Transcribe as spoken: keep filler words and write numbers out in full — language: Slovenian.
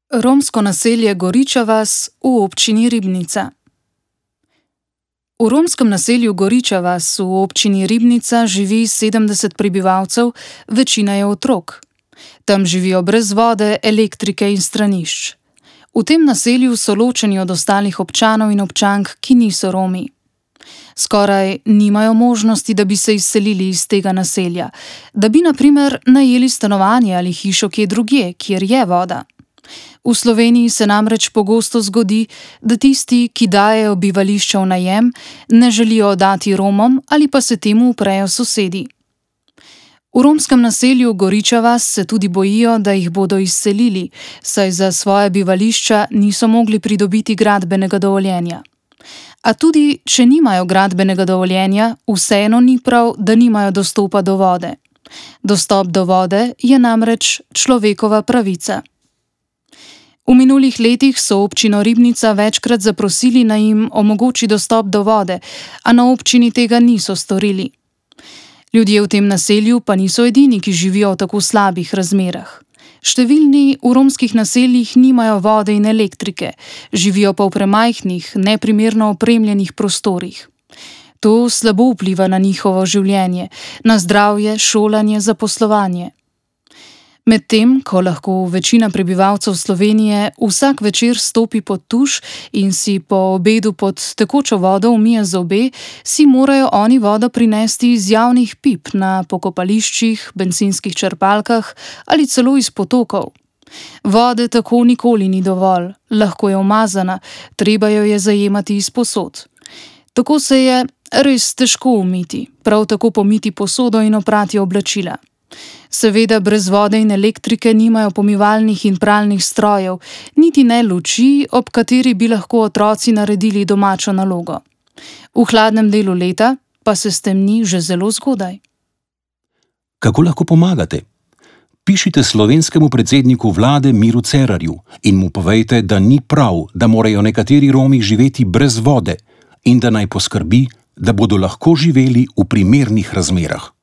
Romsko naselje Goriča vas v občini Ribnica. V romskem naselju Goriča vas v občini Ribnica živi sedemdeset prebivalcev, večina je otrok. Tam živijo brez vode, elektrike in stranišč. V tem naselju so ločeni od ostalih občanov in občank, ki niso Romi. Skoraj nimajo možnosti, da bi se izselili iz tega naselja, da bi na primer najeli stanovanje ali hišo kje drugje, kjer je voda. V Sloveniji se namreč pogosto zgodi, da tisti, ki dajejo bivališča v najem, ne želijo oddati Romom ali pa se temu uprejo sosedi. V romskem naselju Goriča vas se tudi bojijo, da jih bodo izselili, saj za svoje bivališča niso mogli pridobiti gradbenega dovoljenja. A tudi, če nimajo gradbenega dovoljenja, vseeno ni prav, da nimajo dostopa do vode. Dostop do vode je namreč človekova pravica. V minulih letih so občino Ribnica večkrat zaprosili, naj jim omogoči dostop do vode, a na občini tega niso storili. Ljudje v tem naselju pa niso edini, ki živijo v tako slabih razmerah. Številni v romskih naseljih nimajo vode in elektrike, živijo pa v premajhnih, neprimerno opremljenih prostorih. To slabo vpliva na njihovo življenje, na zdravje, šolanje, zaposlovanje. Medtem, ko lahko večina prebivalcev Slovenije vsak večer stopi pod tuš in si po obedu pod tekočo vodo umije zobe, si morajo oni vodo prinesti iz javnih pip na pokopališčih, bencinskih črpalkah ali celo iz potokov. Vode tako nikoli ni dovolj, lahko je umazana, treba jo je zajemati iz posod. Tako se je res težko umiti, prav tako pomiti posodo in oprati oblačila. Seveda brez vode in elektrike nimajo pomivalnih in pralnih strojev, niti ne luči, ob kateri bi lahko otroci naredili domačo nalogo. V hladnem delu leta pa se stemni že zelo zgodaj. Kako lahko pomagate? Pišite slovenskemu predsedniku vlade Miru Cerarju in mu povejte, da ni prav, da morajo nekateri Romi živeti brez vode in da naj poskrbi, da bodo lahko živeli v primernih razmerah.